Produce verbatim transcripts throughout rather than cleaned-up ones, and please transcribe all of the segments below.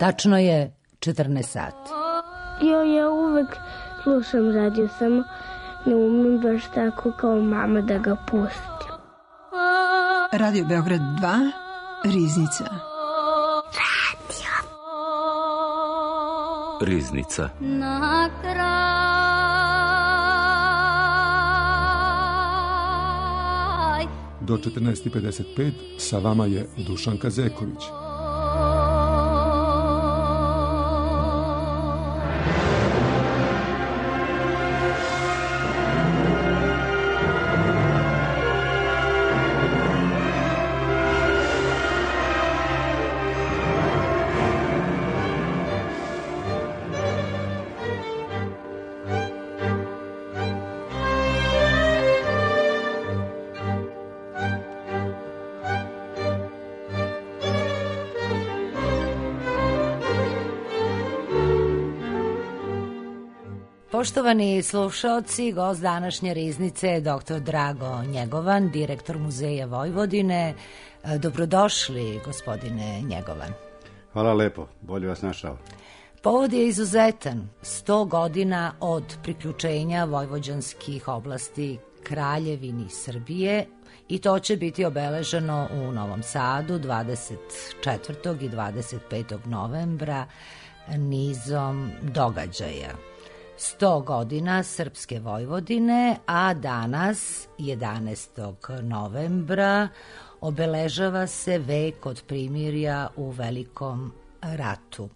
Tačno je četrnaest sati. Jo, ja uvek slušam radio, samo ne umem baš tako kao mama da ga pustim. Radio Beograd dva, Riznica. Radio. Riznica. Na kraj do četrnaest i pedeset pet sa vama je Dušanka Zeković. Poštovani slušaoci, gost današnje Riznice je doktor Drago Njegovan, direktor Muzeja Vojvodine. Dobrodošli, gospodine Njegovan. Hvala lepo, bolje vas našao. Povod je izuzetan, sto godina od priključenja vojvođanskih oblasti Kraljevini Srbije i to će biti obeleženo u Novom Sadu dvadeset četvrtog i dvadeset petog novembra nizom događaja. sto godina Srpske Vojvodine, a danas, jedanaestog novembra, obeležava se vek od primirja u Velikom ratu.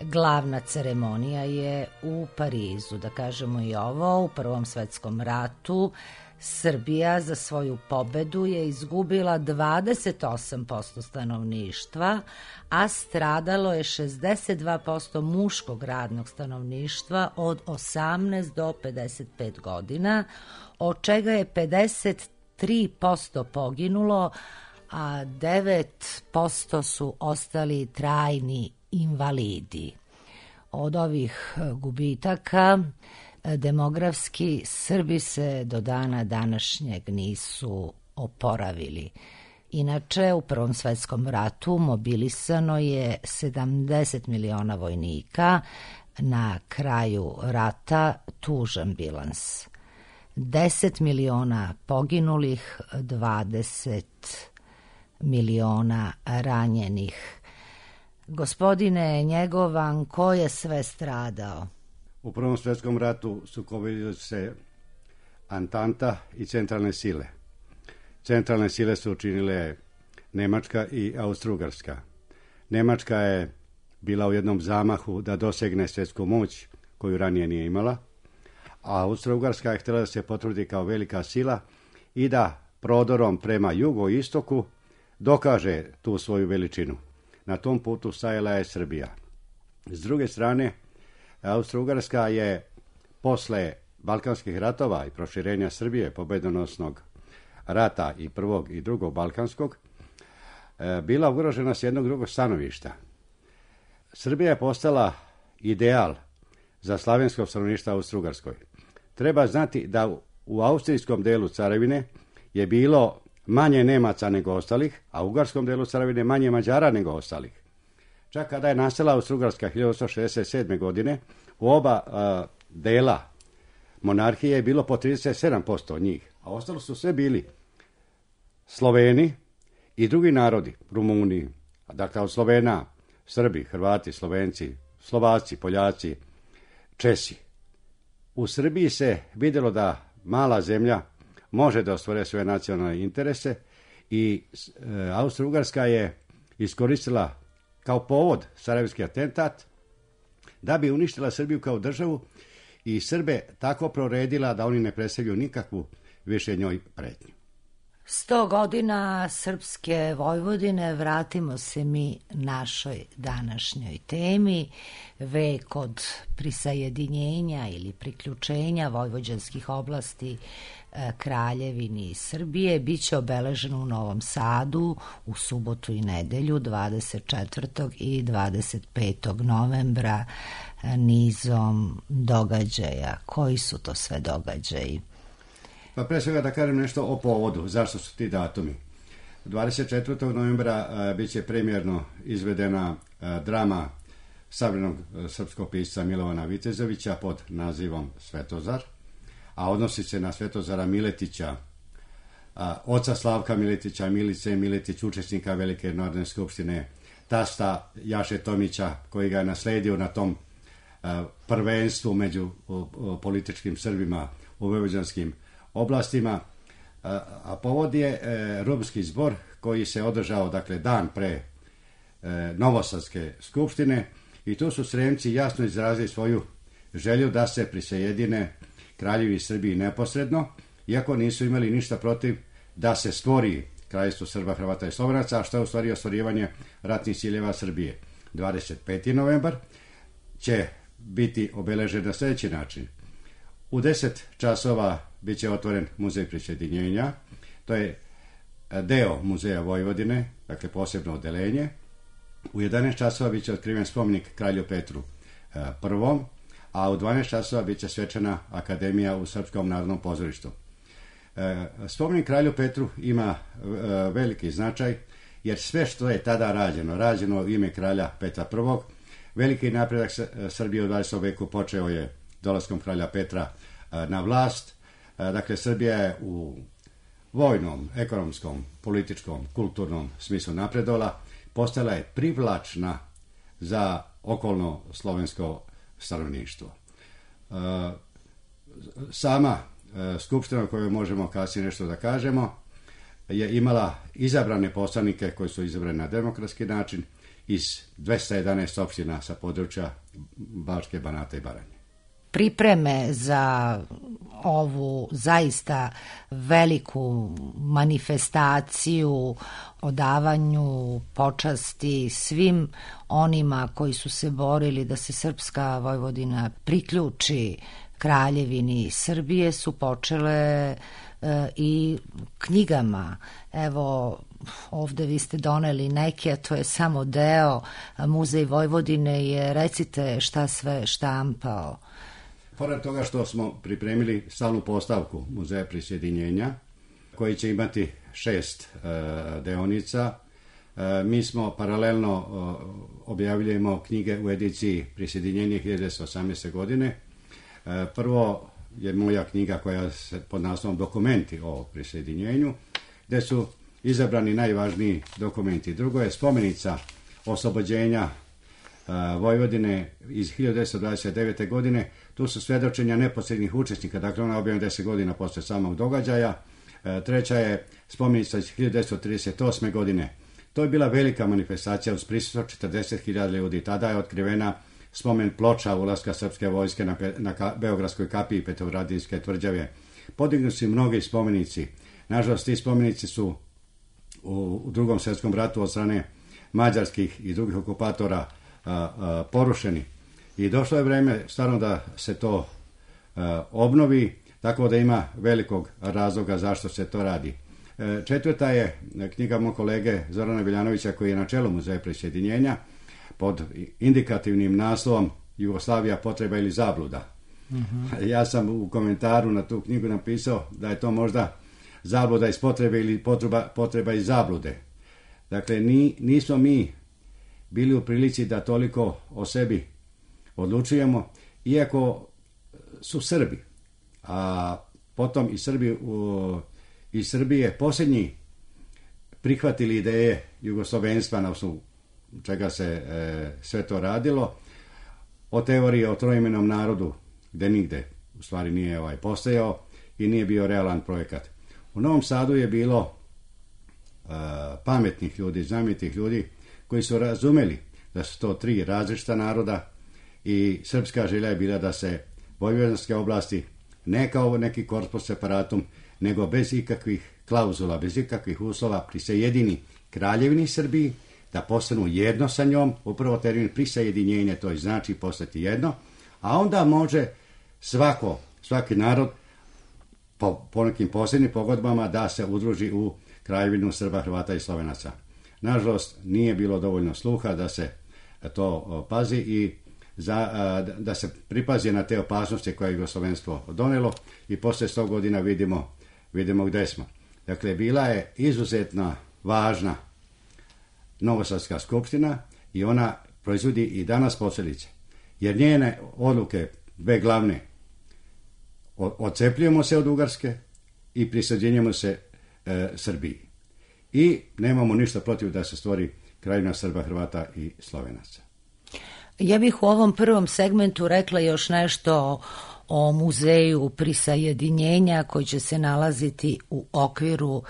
Glavna ceremonija je u Parizu, da kažemo i ovo, u Prvom svetskom ratu. Srbija za svoju pobedu je izgubila dvadeset osam posto stanovništva, a stradalo je šezdeset dva posto muškog radnog stanovništva od osamnaest do pedeset pet godina, od čega je pedeset tri posto poginulo, a devet posto su ostali trajni invalidi. Od ovih gubitaka demografski Srbi se do dana današnjeg nisu oporavili. Inače, u Prvom svetskom ratu mobilisano je sedamdeset miliona vojnika, na kraju rata tužan bilans. deset miliona poginulih, dvadeset miliona ranjenih. Gospodine Njegovan, ko je sve stradao? U Prvom svjetskom ratu sukobili se Antanta i centralne sile. Centralne sile su učinile Nemačka i Austro-Ugarska. Nemačka je bila u jednom zamahu da dosegne svjetsku moć koju ranije nije imala, a Austro-Ugarska je htjela da se potvrdi kao velika sila i da prodorom prema jugoistoku dokaže tu svoju veličinu. Na tom putu stajala je Srbija. S druge strane, Austro-Ugarska je posle Balkanskih ratova i proširenja Srbije, pobedonosnog rata i prvog i drugog Balkanskog, bila ugrožena s jednog drugog stanovišta. Srbija je postala ideal za slavensko stanovništvo u Austro-Ugarskoj. Treba znati da u austrijskom delu carevine je bilo manje Nemaca nego ostalih, a u ugarskom delu carevine manje Mađara nego ostalih. Čak kada je nastala Austro-Ugarska hiljadu osamsto šezdeset sedme. godine, u oba a, dela monarhije je bilo po trideset sedam posto njih, a ostalo su sve bili Sloveni i drugi narodi, Rumuni, dakle od Slovena, Srbi, Hrvati, Slovenci, Slovaci, Poljaci, Česi. U Srbiji se vidjelo da mala zemlja može da ostvare svoje nacionalne interese i e, Austro-Ugarska je iskoristila kao povod sarajevski atentat da bi uništila Srbiju kao državu i Srbe tako proredila da oni ne predstavljaju nikakvu više njoj pretnju. Sto godina Srpske Vojvodine, vratimo se mi našoj današnjoj temi. Vek od prisajedinjenja ili priključenja vojvođanskih oblasti Kraljevini Srbije biće obeležen u Novom Sadu u subotu i nedelju dvadeset četvrtog i dvadeset petog novembra nizom događaja. Koji su to sve događaji? Pa pre svega da kažem nešto o povodu, zašto su ti datumi. dvadeset četvrtog novembra a, bit će premijerno izvedena a, drama savremenog srpskog pisca Milovana Vitezovića pod nazivom Svetozar, a odnosi se na Svetozara Miletića, a, oca Slavka Miletića, Milice Miletić, učesnika Velike narodne skupštine, tasta Jaše Tomića, koji ga je nasledio na tom a, prvenstvu među o, o, političkim Srbima u vojvođanskim oblastima, a, a povod je e, Rumski zbor koji se održao, dakle, dan pre e, Novosadske skupštine, i tu su Sremci jasno izrazili svoju želju da se prisajedine Kraljevi Srbiji neposredno, iako nisu imali ništa protiv da se stvori Kraljevstvo Srba, Hrvata i Slovenaca, a što je u stvari ostvarivanje ratnih ciljeva Srbije. dvadeset peti novembar će biti obeležen na sljedeći način. U deset časova bit će otvoren muzej prisjedinjenja, to je deo muzeja Vojvodine, dakle posebno odelenje. U jedanaest časova bit će otkriven spomenik kralju Petru prvom, a u dvanaest časova bit će svečana akademija u Srpskom narodnom pozorištu. Spomenik kralju Petru ima veliki značaj, jer sve što je tada rađeno, rađeno u ime kralja Petra prvog, veliki napredak Srbije u dvadesetom veku počeo je dolaskom kralja Petra na vlast. Dakle, Srbija je u vojnom, ekonomskom, političkom, kulturnom smislu napredovala, postala je privlačna za okolno slovensko stanovništvo. Sama skupština, o kojoj možemo kasnije nešto da kažemo, je imala izabrane poslanike koji su izabrani na demokratski način iz dvesta jedanaest opština sa područja Bačke, Banata i Baranje. Pripreme za ovu zaista veliku manifestaciju, odavanju počasti svim onima koji su se borili da se srpska Vojvodina priključi Kraljevini Srbije su počele e, i knjigama. Evo, ovde vi ste doneli neke, a to je samo deo. Muzej Vojvodine je, recite šta sve štampao. Pored toga što smo pripremili stalnu postavku Muzeja prisjedinjenja, koji će imati šest e, deonica, e, mi smo paralelno e, objavljujemo knjige u ediciji prisjedinjenja hiljadu devetsto osamnaeste. godine. E, prvo je moja knjiga koja se pod naslovom Dokumenti o prisjedinjenju, gde su izabrani najvažniji dokumenti. Drugo je spomenica oslobođenja Vojvodine iz hiljadu devetsto dvadeset devete. godine. Tu su svedočenja neposrednih učesnika, dakle ona je objavljena deset godina posle samog događaja. Treća je spomenica iz hiljadu devetsto trideset osme. godine. To je bila velika manifestacija uz prisustvo četrdeset hiljada ljudi. Tada je otkrivena spomen ploča ulaska srpske vojske na, na ka, Beogradskoj kapiji Petrovaradinske tvrđave. Podignuti su mnogi spomenici. Nažalost, ti spomenici su u, u drugom svjetskom ratu od strane mađarskih i drugih okupatora a, a, porušeni. I došlo je vreme stvarno da se to a, obnovi, tako da ima velikog razloga zašto se to radi. E, četvrta je knjiga mog kolege Zorana Viljanovića, koji je na čelu Muzeja prisjedinjenja, pod indikativnim naslovom Jugoslavija, potreba ili zabluda. Uh-huh. Ja sam u komentaru na tu knjigu napisao da je to možda zabluda iz potrebe ili potreba, potreba iz zablude. Dakle, ni, nismo mi bili u prilici da toliko o sebi odlučujemo, iako su Srbi, a potom i Srbi u, i Srbije posljednji prihvatili ideje jugoslovenstva, na osnovu čega se e, sve to radilo, o teoriji o troimenom narodu, gde nigde u stvari nije ovaj postojao i nije bio realan projekat. U Novom Sadu je bilo e, pametnih ljudi, znamitih ljudi koji su razumeli da su to tri različita naroda i srpska želja je bila da se vojvođanske oblasti ne kao neki corpus separatum, nego bez ikakvih klauzula, bez ikakvih uslova prisajedini Kraljevini Srbiji, da postanu jedno sa njom, upravo termin prisajedinjenje, to znači postati jedno, a onda može svako, svaki narod po, po nekim posebnim pogodbama da se udruži u Kraljevinu Srba, Hrvata i Slovenaca. Nažalost, nije bilo dovoljno sluha da se to pazi i za, da se pripazi na te opasnosti koje je jugoslovenstvo donelo i posle sto godina vidimo, vidimo gde smo. Dakle, bila je izuzetno važna Novosadska skupština i ona proizvodi i danas posljedice. Jer njene odluke, dve glavne, odcepljujemo se od Ugarske i prisađenjujemo se e, Srbiji. I nemamo ništa protiv da se stvori Kraljevina Srba, Hrvata i Slovenaca. Ja bih u ovom prvom segmentu rekla još nešto o muzeju prisajedinjenja koji će se nalaziti u okviru uh,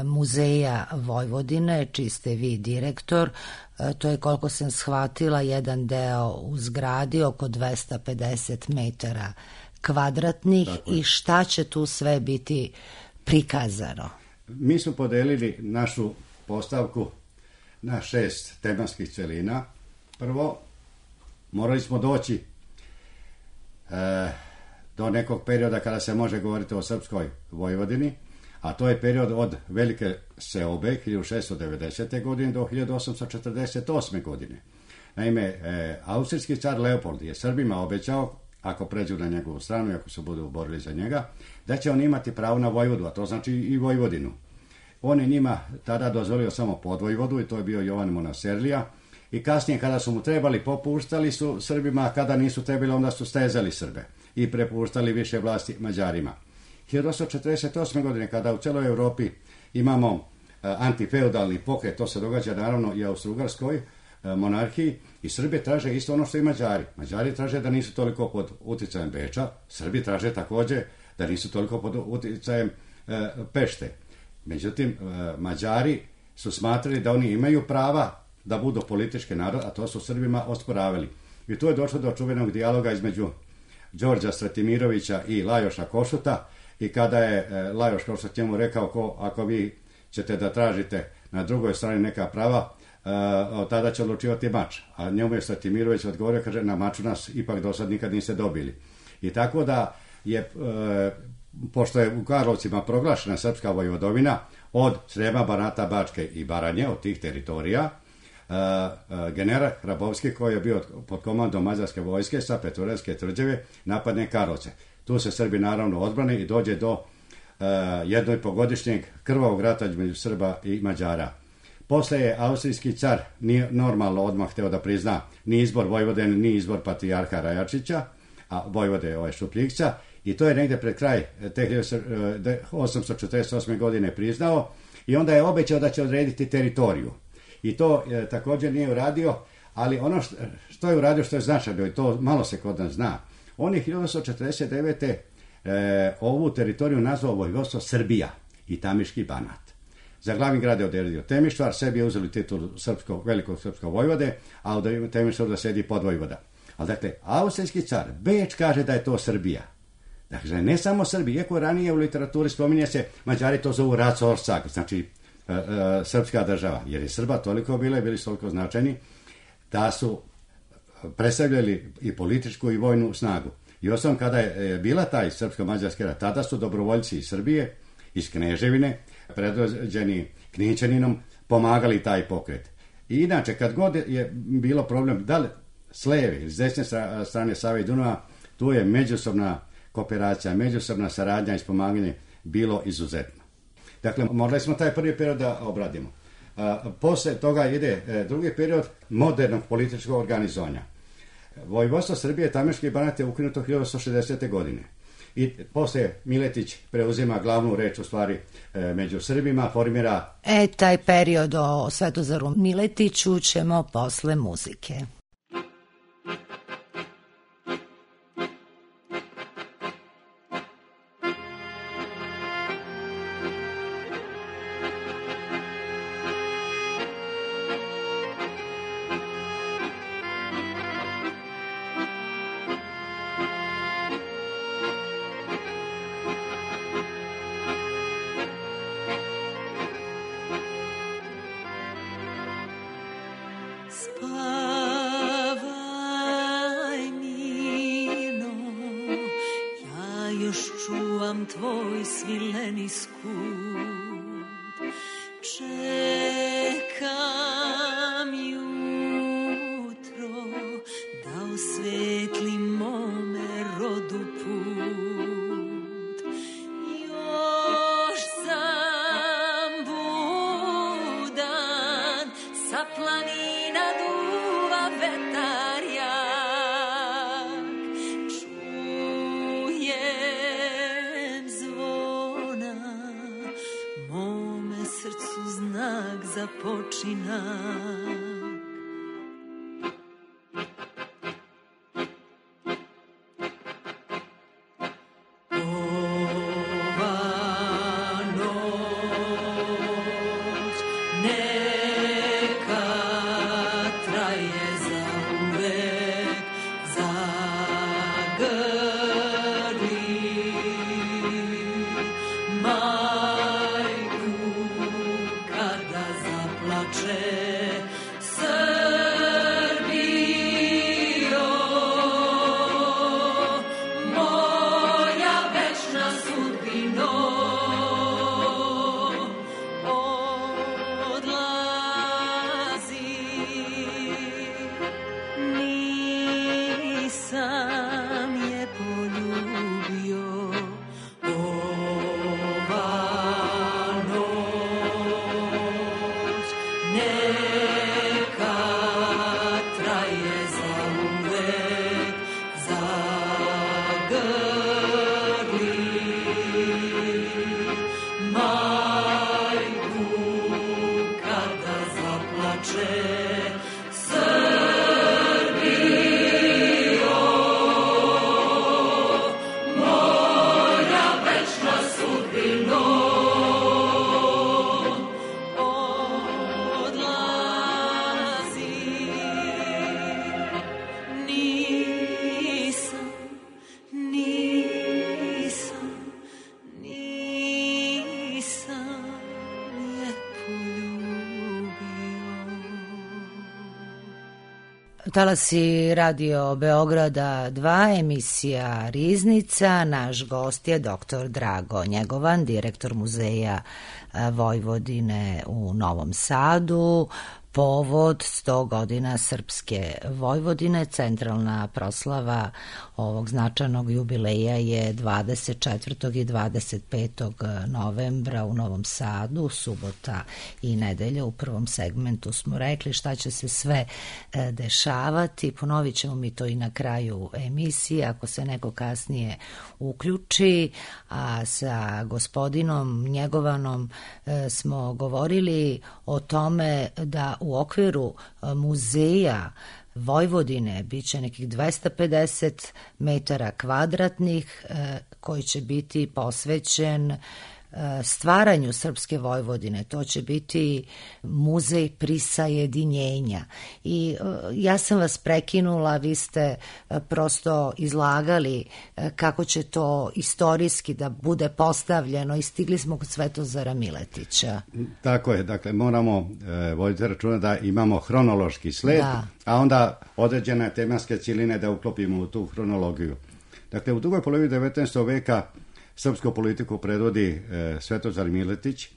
muzeja Vojvodine, čiji ste vi direktor. Uh, to je, koliko sam shvatila, jedan deo u zgradi oko dvesta pedeset metara kvadratnih. I šta će tu sve biti prikazano? Mi smo podelili našu postavku na šest tematskih celina. Prvo, morali smo doći e, do nekog perioda kada se može govoriti o srpskoj Vojvodini, a to je period od Velike seobe hiljadu šeststo devedesete. godine do hiljadu osamsto četrdeset osme. godine. Naime, e, austrijski car Leopold je Srbima obećao, ako pređu na njegovu stranu i ako se budu borili za njega, da će on imati pravo na Vojvodu, a to znači i Vojvodinu. On je njima tada dozvolio samo podvojvodu i to je bio Jovan Monaserlija. I kasnije kada su mu trebali, popuštali su Srbima, a kada nisu trebali, onda su stezali Srbe i prepuštali više vlasti Mađarima. hiljadu osamsto četrdeset osme. godine, kada u celoj Europi imamo uh, antifeudalni pokret, to se događa naravno i u Austro-Ugarskoj uh, monarhiji, i Srbi traže isto ono što i Mađari. Mađari traže da nisu toliko pod uticajem Beča, Srbi traže također da nisu toliko pod uticajem uh, Pešte. Međutim, uh, Mađari su smatrali da oni imaju prava da budu politički narod, a to su Srbima osporavali. I tu je došlo do čuvenog dijaloga između Đorđa Stratimirovića i Lajoša Košuta, i kada je e, Lajoš Košut njemu rekao, ko, ako vi ćete da tražite na drugoj strani neka prava, e, tada će odlučivati mač. A njemu je Stratimirović odgovorio, kaže, na maču nas ipak do sad nikad niste dobili. I tako da je, e, pošto je u Karlovcima proglašena srpska vojvodovina od Srema, Banata, Bačke i Baranje, od tih teritorija, Uh, uh, general Hrabovski, koji je bio pod komandom mađarske vojske sa Petrovaradske tvrđave, napadne Karlovce. Tu se Srbi naravno odbrane i dođe do uh, jednoipogodišnjeg krvavog rata između Srba i Mađara. Posle je austrijski car nije normalno odmah hteo da prizna ni izbor Vojvodine, ni izbor patrijarha Rajačića, a Vojvode je ovaj Šupljikca, i to je negde pred kraj te hiljadu osamsto četrdeset osme. godine priznao, i onda je obećao da će odrediti teritoriju. I to e, također nije uradio, ali ono što, što je uradio, što je značajno, i to malo se kod nas zna, on je hiljadu osamsto četrdeset devete. E, ovu teritoriju nazvao Vojvodstvo Srbija i Tamiški Banat. Za glavni grad je odredio Temišvar, sebi je uzeli titul srpsko, velikog srpskog vojvode, a u Temišvaru da sedi podvojvoda. Ali dakle, austrijski car Beč kaže da je to Srbija. Dakle, ne samo Srbija, iako ranije u literaturi spominje se, Mađari to zovu Racorsak, znači E, e, srpska država, jer je Srba toliko bile, bili su toliko značajni da su predstavljali i političku i vojnu snagu. I osim kada je bila taj srpsko-mađarski rat, tada su dobrovoljci iz Srbije, iz Kneževine, predvođeni Knićaninom, pomagali taj pokret. I inače, kad god je bilo problem, da li s leve ili s desne strane Save i Dunava, tu je međusobna kooperacija, međusobna saradnja i pomaganje bilo izuzetno. Dakle, morali smo taj prvi period da obradimo. A, posle toga ide e, drugi period modernog političkog organizovanja. Vojvodstvo Srbije, Tamiški Banat je ukinuto hiljadu osamsto šezdesete. godine. I posle Miletić preuzima glavnu reč u stvari e, među Srbima, formira... E, taj period o Svetozaru Miletiću ćemo posle muzike. Tvoj svileni skut, čekam jutro da osvetli mome rodu put. Još sam budan, sa planina duva vetar jak, čujem zvona, mome srcu znak započinak. Talasi Radio Beograda dva, emisija Riznica. Naš gost je doktor Drago Njegovan, direktor Muzeja Vojvodine u Novom Sadu. Povod sto godina Srpske Vojvodine, centralna proslava ovog značajnog jubileja je dvadeset četvrtog i dvadeset petog novembra u Novom Sadu, subota i nedelja. U prvom segmentu smo rekli šta će se sve dešavati, ponovit ćemo mi to i na kraju emisije ako se neko kasnije uključi, a sa gospodinom Njegovanom smo govorili o tome da u okviru muzeja Vojvodine biće nekih dvesta pedeset metara kvadratnih koji će biti posvećen stvaranju Srpske Vojvodine. To će biti muzej prisajedinjenja. I ja sam vas prekinula, vi ste prosto izlagali kako će to istorijski da bude postavljeno i stigli smo kod Svetozara Miletića. Tako je, dakle moramo e, voditi računa da imamo hronološki sled, da. A onda određene tematske cijeline da uklopimo u tu hronologiju. Dakle, u drugoj polovini devetnaestog veka srpsku politiku predvodi e, Svetozar Miletić.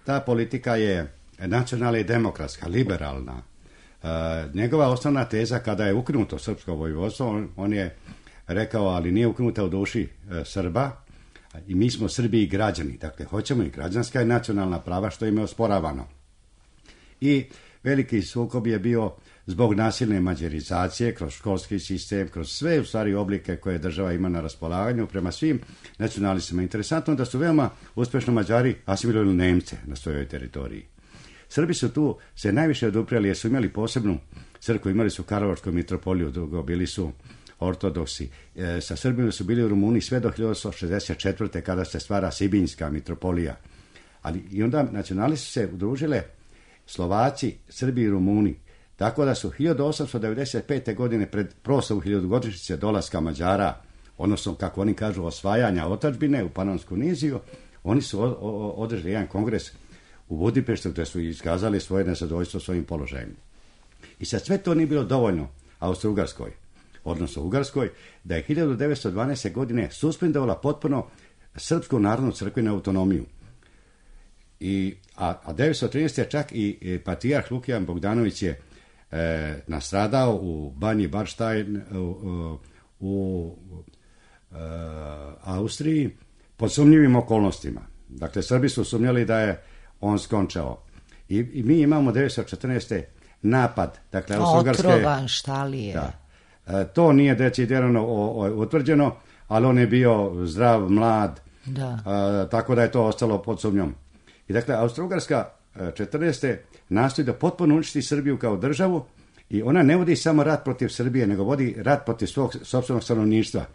Ta politika je nacionalna i demokratska, liberalna. E, njegova osnovna teza kada je ukinuto srpsko vojvodstvo, on, on je rekao, ali nije ukinuta u duši e, Srba i mi smo Srbi i građani. Dakle, hoćemo i građanska i nacionalna prava što im je osporavano. I veliki sukob je bio zbog nasilne mađarizacije, kroz školski sistem, kroz sve u stvari oblike koje država ima na raspolaganju prema svim nacionalistima. Interesantno da su veoma uspešno Mađari asimilirali Nemce na svojoj teritoriji. Srbi su tu se najviše odupreli jer su imali posebnu crkvu, imali su Karlovačku mitropoliju, drugo bili su ortodoksi. E, sa Srbima su bili u Rumuniji sve do hiljadu osamsto šezdeset četvrte kada se stvara Sibinjska mitropolija. Ali i onda nacionalisti su se udružile Slovaci, Srbi i Rumuni. Tako da su hiljadu osamsto devedeset pete. godine pred proslavu hiljadugodišnjice dolaska Mađara, odnosno kako oni kažu osvajanja otadžbine u Panonsku niziju, oni su održali jedan kongres u Budimpeštu gdje su iskazali svoje nezadovoljstvo svojim položajem. I sad sve to nije bilo dovoljno Austro-Ugarskoj, odnosno Ugarskoj, da je hiljadu devetsto dvanaeste. godine suspendovala potpuno Srpsku narodnu crkvenu autonomiju. I, a, a devetsto trinaeste. čak i, i patrijarh Lukijan Bogdanović je e, nastradao u Banji Barštajn u, u, u e, Austriji pod sumnjivim okolnostima. Dakle, Srbi su sumnjali da je on skončao. I, i mi imamo devetsto četrnaeste. napad. Dakle, Austro-Ugarska je... Otrovan, šta li je? Da. E, to nije decidirano utvrđeno, ali on je bio zdrav, mlad, da. E, tako da je to ostalo pod sumnjom. I dakle, Austro-Ugarska četrnaeste nastoji da potpuno uništi Srbiju kao državu i ona ne vodi samo rat protiv Srbije, nego vodi rat protiv svog sopstvenog stanovništva.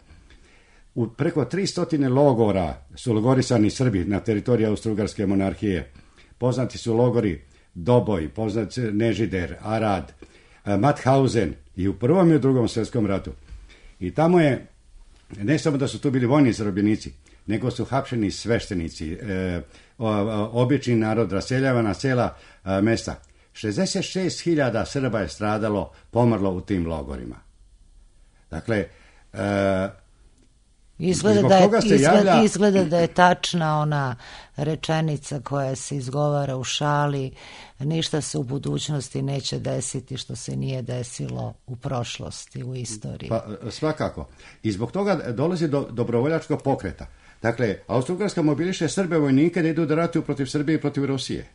U preko tristo logora su logorisani Srbi na teritoriji Austro-Ugarske monarhije. Poznati su logori Doboj, poznat Nežider, Arad, Mauthausen i u Prvom i u Drugom svjetskom ratu. I tamo je, ne samo da su tu bili vojni zarobljenici, nego su hapšeni sveštenici, e, obični narod raseljavana cela e, mesta. šezdeset šest hiljada Srba je stradalo, pomrlo u tim logorima. Dakle, e, Izgleda da, je, izgleda, javlja... izgleda da je tačna ona rečenica koja se izgovara u šali, ništa se u budućnosti neće desiti što se nije desilo u prošlosti, u istoriji. Pa, svakako. I zbog toga dolazi do dobrovoljačkog pokreta. Dakle, Austro-Ugarska mobiliše Srbe vojnike da idu da ratuju protiv Srbije i protiv Rusije.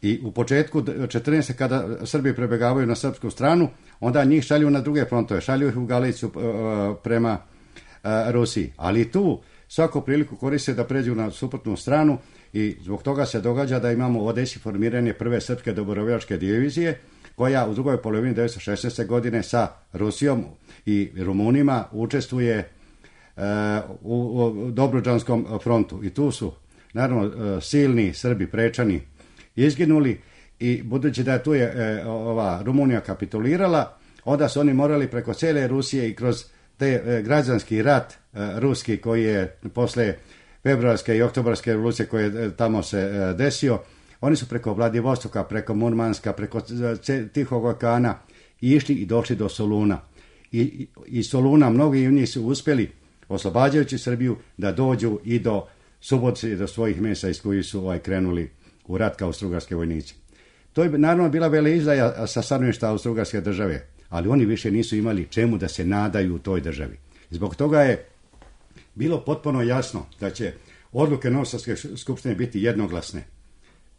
I u početku četrnaeste kada Srbi prebegavaju na srpsku stranu, onda njih šalju na druge frontove, šalju ih u Galicu prema Rusiji. Ali tu svaku priliku koriste da pređu na suprotnu stranu i zbog toga se događa da imamo u Odesi formiranje prve srpske dobrovoljačke divizije koja u drugoj polovini devetsto šesnaeste. godine sa Rusijom i Rumunima učestvuje u, u Dobruđanskom frontu. I tu su naravno silni Srbi prečani izginuli i budući da tu je ova Rumunija kapitulirala, onda su oni morali preko cijele Rusije i kroz te građanski rat ruski koji je posle februarske i oktobarske revolucije koje je tamo se desio, oni su preko Vladivostoka, preko Murmanska, preko Tihog okeana išli i došli do Soluna. I, i Soluna, mnogi od njih su uspjeli, oslobađajući Srbiju, da dođu i do Subotice i do svojih mjesta iz kojih su ovaj, krenuli u rat kao austrougarske vojnici. To je naravno bila veleizdaja sa stanovišta Austrougarske države, ali oni više nisu imali čemu da se nadaju u toj državi. Zbog toga je bilo potpuno jasno da će odluke Novosadske skupštine biti jednoglasne.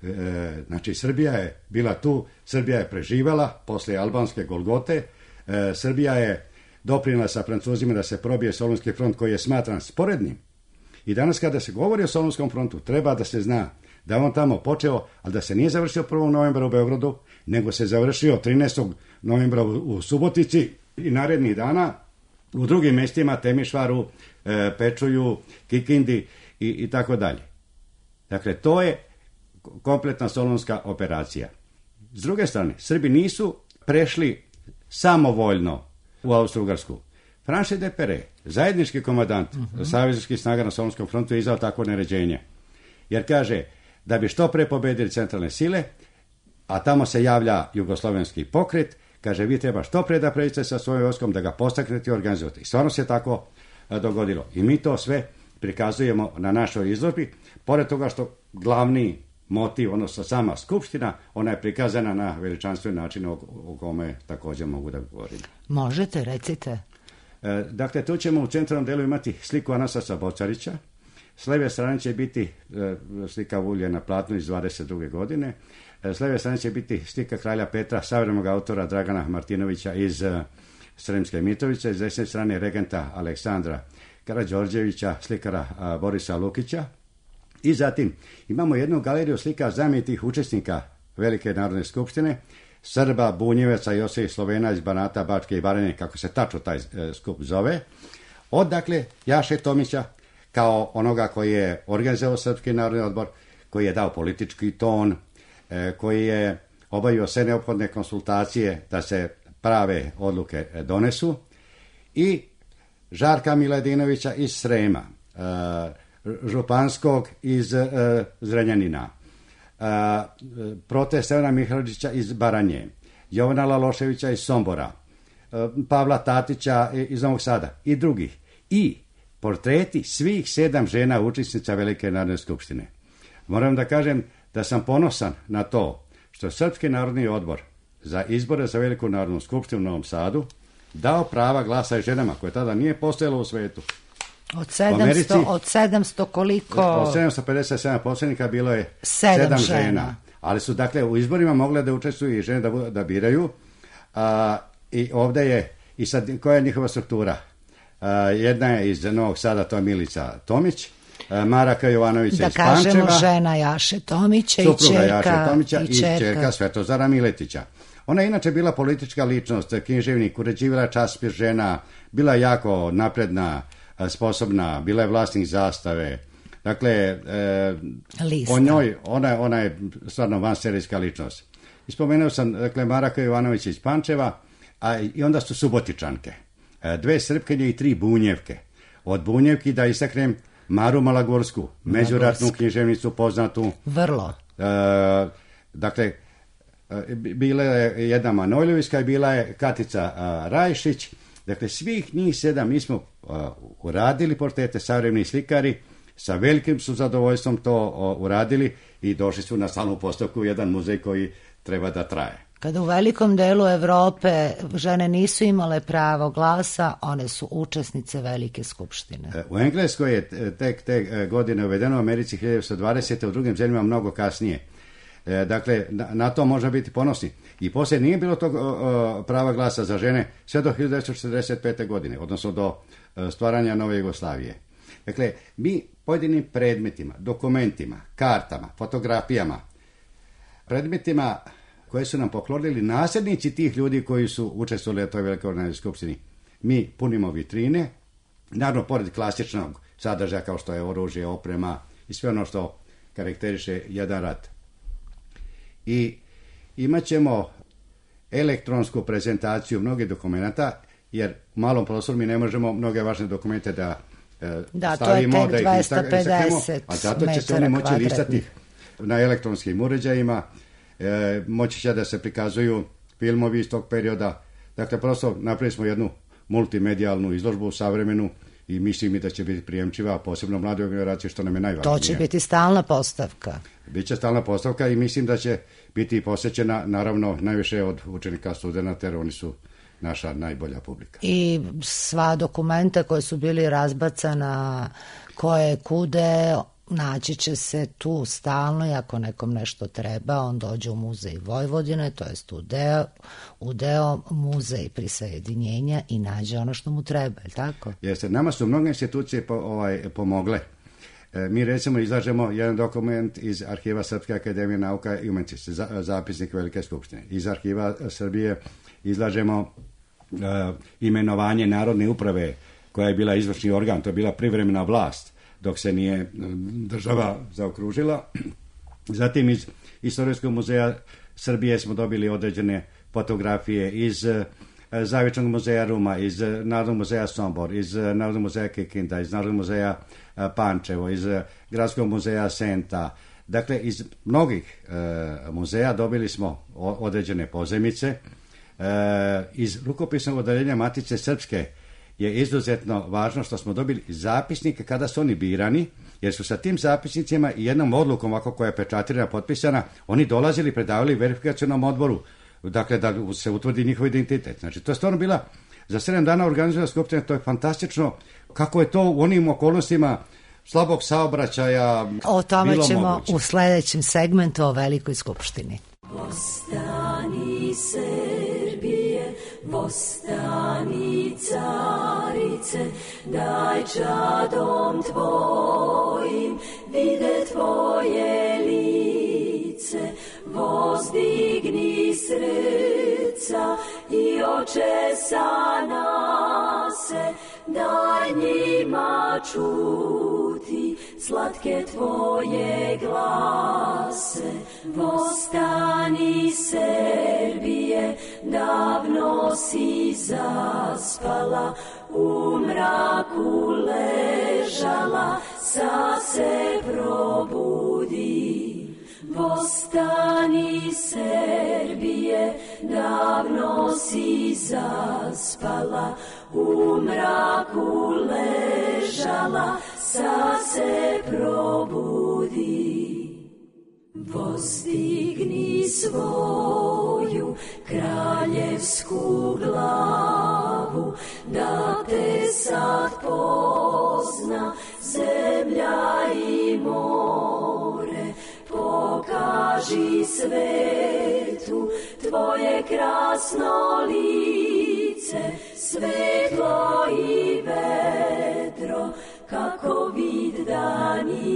E, znači, Srbija je bila tu, Srbija je preživala posle albanske Golgote, e, Srbija je doprinela sa Francuzima da se probije Solunski front koji je smatran sporednim. I danas kada se govori o Solunskom frontu, treba da se zna da je on tamo počeo, ali da se nije završio prvog novembra u Beogradu, nego se završio trinaestog novembra u Subotici i narednih dana u drugim mjestima, Temišvaru, e, Pečuju, Kikindi i, i tako dalje. Dakle, to je kompletna solunska operacija. S druge strane, Srbi nisu prešli samovoljno u Austro-Ugarsku. Franche de Pere, zajednički komandant uh-huh. savezničkih snaga na Solunskom frontu, je izdao takvo naređenje. Jer kaže da bi što pre pobedili centralne sile, a tamo se javlja jugoslovenski pokret, kaže vi treba što pre da pređete sa svojim vojskom, da ga postaknete i organizujete. I stvarno se tako a, dogodilo. I mi to sve prikazujemo na našoj izložbi, pored toga što glavni motiv, odnosno sama skupština, ona je prikazana na veličanstven način o, o kome također mogu da govorim. Možete, recite. E, dakle, tu ćemo u centralnom delu imati sliku Anastasa Bocarića. S leve strane će biti e, slika Vulje na platnu iz dvadeset druge. godine. E, s leve strane će biti slika kralja Petra, savremenog autora Dragana Martinovića iz e, Sremske Mitrovice. S desne strane regenta Aleksandra Karađorđevića, slikara a, Borisa Lukića. I zatim imamo jednu galeriju slika znamenitih učesnika Velike narodne skupštine, Srba, Bunjevaca, Jose i Slovena iz Banata, Bačke i Baranje, kako se tačno taj e, skup zove. Od, dakle, Jaše Tomića, kao onoga koji je organizovao Srpski narodni odbor, koji je dao politički ton, e, koji je obavio sve neophodne konsultacije da se prave odluke donesu, i Žarka Miladinovića iz Srema, e, Županskog iz e, Zrenjanina, e, Prote Stevana Mihajlovića iz Baranje, Jovana Laloševića iz Sombora, e, Pavla Tatića iz Novog Sada i drugih. I portreti svih sedam žena učesnica Velike narodne skupštine. Moram da kažem da sam ponosan na to što Srpski narodni odbor za izbore za Veliku narodnu skupštinu u Novom Sadu dao prava glasa i ženama, koje tada nije postojalo u svetu. Od sedamsto, Americi, od sedamsto koliko? Od sedamsto pedeset sedam posrednika bilo je sedam žena. žena. Ali su, dakle, u izborima mogle da učestvuju i žene da, da biraju. A, I ovde je, i sad, koja je njihova struktura? A, jedna je iz Novog Sada, to je Milica Tomić, a, Maraka Jovanovića iz Pančeva. Da kažemo žena Jaše Tomića i čerka, Jaše Tomića i, i čerka. čerka Svetozara Miletića. Ona je inače bila politička ličnost, književnik, uređivala časopis Žena, bila jako napredna, sposobna, bila je vlasnik Zastave. Dakle, e, o njoj, ona, ona je stvarno vanserijska ličnost. Ispomenuo sam, dakle, Maraka Jovanovića iz Pančeva, a i onda su Subotičanke. E, dve Srpkinje i tri Bunjevke. Od Bunjevki da istaknem Maru Malagorsku, međuratnu književnicu poznatu. Vrlo. E, dakle, bila je jedna Manojlovićka i bila je Katica a, Rajšić. Dakle, svih njih sedam mi smo a, uradili portrete, savremeni slikari, sa velikim su zadovoljstvom to a, uradili i došli su na stalnu postavku u jedan muzej koji treba da traje. Kada u velikom delu Evrope žene nisu imale pravo glasa, one su učesnice Velike skupštine. U Engleskoj je tek te godine uvedeno, u Americi hiljadu devetsto dvadesete. u drugim zemljama mnogo kasnije. Dakle, na, na to može biti ponosni. I poslije nije bilo tog o, prava glasa za žene sve do hiljadu devetsto četrdeset pete. godine, odnosno do stvaranja nove Jugoslavije. Dakle, mi pojedinim predmetima, dokumentima, kartama, fotografijama, predmetima koje su nam poklonili nasljednici tih ljudi koji su učestvovali u toj Velikoj skupštini, mi punimo vitrine, naravno, pored klasičnog sadržaja kao što je oružje, oprema i sve ono što karakteriše jedan rat. I imat ćemo elektronsku prezentaciju mnogih dokumenta, jer u malom prostoru mi ne možemo mnoge važne dokumente da, e, da stavimo, da ih istaknemo, a zato će se oni moći listati na elektronskim uređajima, e, moći će da se prikazuju filmovi iz tog perioda. Dakle, prosto napravili smo jednu multimedijalnu izložbu savremenu i mislim mi da će biti prijemčiva, posebno mladoj generaciji, što nam je najvažnije. To će biti stalna postavka. Biće stalna postavka i mislim da će biti posjećena, naravno, najviše od učenika, studenta, jer oni su naša najbolja publika. I sva dokumenta koje su bili razbacana, koje kude, naći će se tu stalno i ako nekom nešto treba, on dođe u muzej Vojvodine, to jest u deo, u deo muzej prisajedinjenja i nađe ono što mu treba, je li tako? Jeste, nama su mnoge institucije po, ovaj, pomogle. E, mi recimo izlažemo jedan dokument iz arhiva Srpske akademije nauka i umetnosti, za, zapisnik Velike skupštine. Iz arhiva Srbije izlažemo e, imenovanje Narodne uprave, koja je bila izvršni organ, to je bila privremena vlast, dok se nije država zaokružila. Zatim iz Istorijskog muzeja Srbije smo dobili određene fotografije iz Zavičnog muzeja Ruma, iz Narodnog muzeja Sombor, iz Narodnog muzeja Kikinda, iz Narodnog muzeja Pančevo, iz Gradskog muzeja Senta. Dakle, iz mnogih e, muzeja dobili smo određene pozajmice. E, iz rukopisnog odeljenja Matice Srpske je izuzetno važno što smo dobili zapisnike kada su oni birani, jer su sa tim zapisnicima i jednom odlukom ovako koja je pečatirana, potpisana, oni dolazili, predavali verifikacionom odboru, dakle da se utvrdi njihov identitet. Znači, to je stvarno bila za sedam dana organizovana skupština, to je fantastično kako je to u onim okolnostima slabog saobraćaja o tome bilo ćemo moguće. U sledećem segmentu o Velikoj skupštini. Vostani Srbije, vostani carice, daj čadom tvojim vide tvoje lice, vozdigni srca i oče sa nase, daj njima čuti slatke tvoje glase. Vostani Srbije, davno si zaspala, u mraku ležala, sa se probudi. Vostani Srbije, davno si zaspala, u mraku ležala, sa se probudi. Vozdigni svoju kraljevsku glavu, da te sad pozna zemlja i more, pokaže traži svetu tvoje krasno lice, svetlo i vedro kako vid danice.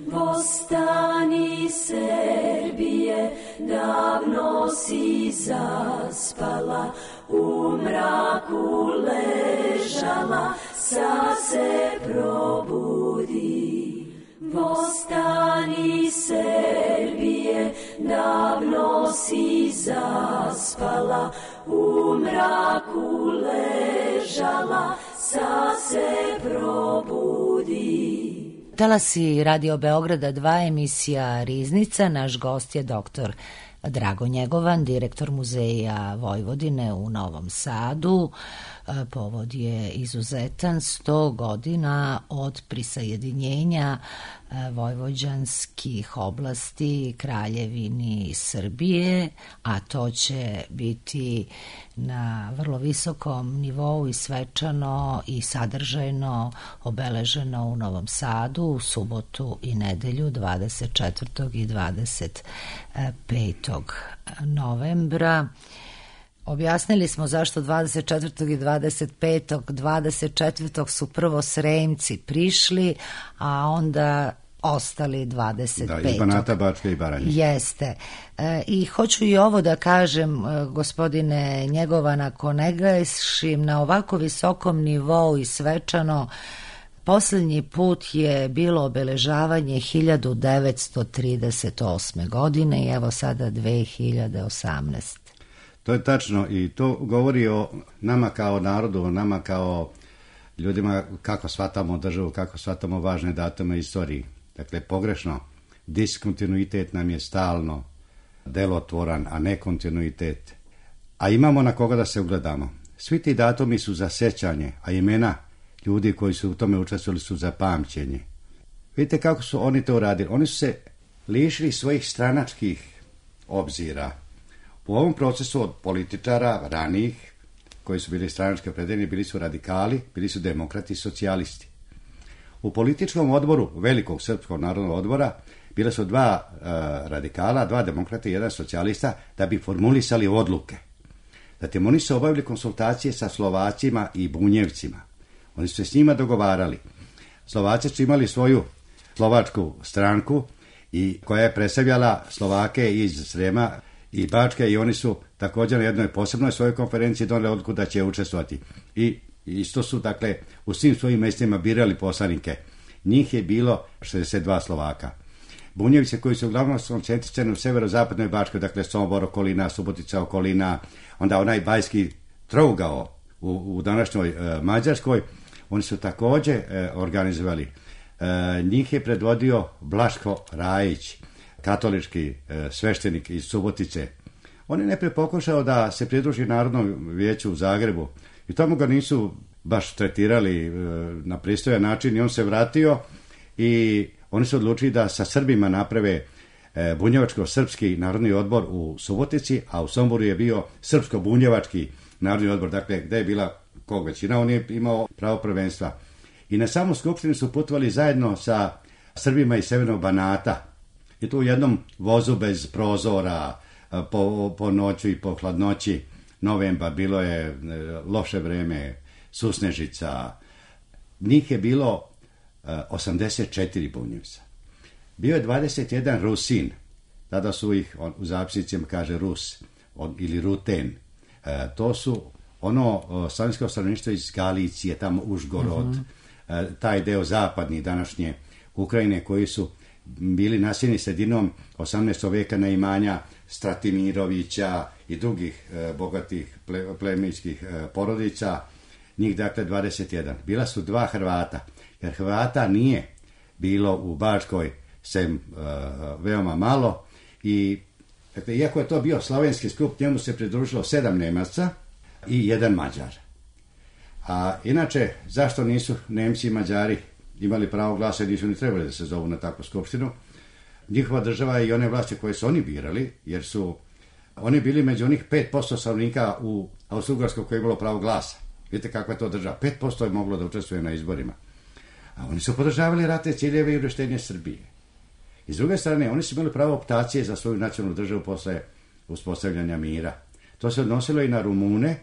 Vostani Srbije, davno si zaspala, u mraku ležala, sad se probudi. Vostani Srbije, davno si zaspala, u mraku ležala, sad se probudi. Talasi Radio Beograda dva, emisija Riznica. Naš gost je doktor Drago Njegovan, direktor Muzeja Vojvodine u Novom Sadu. Povod je izuzetan, sto godina od prisajedinjenja vojvođanskih oblasti Kraljevini Srbije, a to će biti na vrlo visokom nivou i svečano i sadržajno obeleženo u Novom Sadu u subotu i nedelju dvadeset četvrtog i dvadeset petog novembra. Objasnili smo zašto dvadeset četvrtog i dvadeset petog dvadeset četvrtog su prvo Sremci prišli, a onda ostali dvadeset petog. Da, iz Banata, Bačke i Baranje. Jeste. E, I hoću i ovo da kažem, gospodine Njegovan, ako ne grešim, na ovako visokom nivou i svečano, poslednji put je bilo obeležavanje hiljadu devetsto trideset osme. godine i evo sada dve hiljade osamnaeste. To je tačno i to govori o nama kao narodu, o nama kao ljudima kako shvatamo državu, kako shvatamo važne datume istoriji. Dakle, pogrešno, diskontinuitet nam je stalno delotvoran, a ne kontinuitet. A imamo na koga da se ugledamo. Svi ti datumi su za sećanje, a imena ljudi koji su u tome učestvovali su za pamćenje. Vidite kako su oni to uradili. Oni su se lišili svojih stranačkih obzira. U ovom procesu od političara ranijih, koji su bili stranački opredeljeni, bili su radikali, bili su demokrati i socijalisti. U političkom odboru Velikog srpskog narodnog odbora bila su dva e, radikala, dva demokrata i jedan socijalista da bi formulisali odluke. Zatim oni su obavili konsultacije sa Slovacima i Bunjevcima. Oni su se s njima dogovarali. Slovaci su imali svoju slovačku stranku i koja je predstavljala Slovake iz Srema i Bačke i oni su također na jednoj posebnoj svojoj konferenciji doneli odluku da će učestvovati. I isto su, dakle, u svim svojim mjestima birali poslanike. Njih je bilo šezdeset dva Slovaka. Bunjevice koji su uglavnom koncentrirani u severozapadnoj Bačkoj, dakle Sombor okolina, Subotica okolina, onda onaj bajski trougao u, u današnjoj e, Mađarskoj, oni su također e, organizovali. E, njih je predvodio Blaško Rajić, katolički e, sveštenik iz Subotice. On je najprije pokušao da se pridruži Narodnom vijeću u Zagrebu i tamo ga nisu baš tretirali e, na pristojan način i on se vratio i oni su odlučili da sa Srbima naprave e, bunjevačko-srpski narodni odbor u Subotici, a u Somboru je bio srpsko-bunjevački narodni odbor, dakle gde je bila kog većina, on je imao pravo prvenstva. I na samu skupštinu su putovali zajedno sa Srbima iz Severnog Banata i tu u jednom vozu bez prozora, po, po noću i po hladnoći novembar, bilo je loše vreme, susnežica. Njih je bilo osamdeset četiri Bunjevca. Bio je dvadeset jedan Rusin, tada su ih u zapisnicima kaže Rus ili Ruten. E, to su ono slavensko stanovništvo iz Galicije, tamo Užgorod, uh-huh. e, taj deo zapadni današnje Ukrajine koji su bili naseljeni sredinom osamnaestog veka na imanja Stratimirovića i drugih e, bogatih ple, plemićkih e, porodica, njih dakle dvadeset jedan. Bila su dva Hrvata, jer Hrvata nije bilo u Bačkoj sem e, veoma malo i dakle, iako je to bio slavenski skup, njemu se pridružilo sedam Nemaca i jedan Mađar. A inače, zašto nisu Nemci i Mađari imali pravo glasa i nisu ni trebali da se zovu na takvu skupštinu? Njihova država i one vlasti koje su oni birali, jer su oni bili među onih pet posto stanovnika u Austro-Ugarskoj koje je imalo pravo glasa. Vidite kakva je to država. pet posto je moglo da učestvuje na izborima. A oni su podržavali ratne ciljeve i uvrštenje Srbije. I s druge strane, oni su imali pravo optacije za svoju nacionalnu državu posle uspostavljanja mira. To se odnosilo i na Rumune,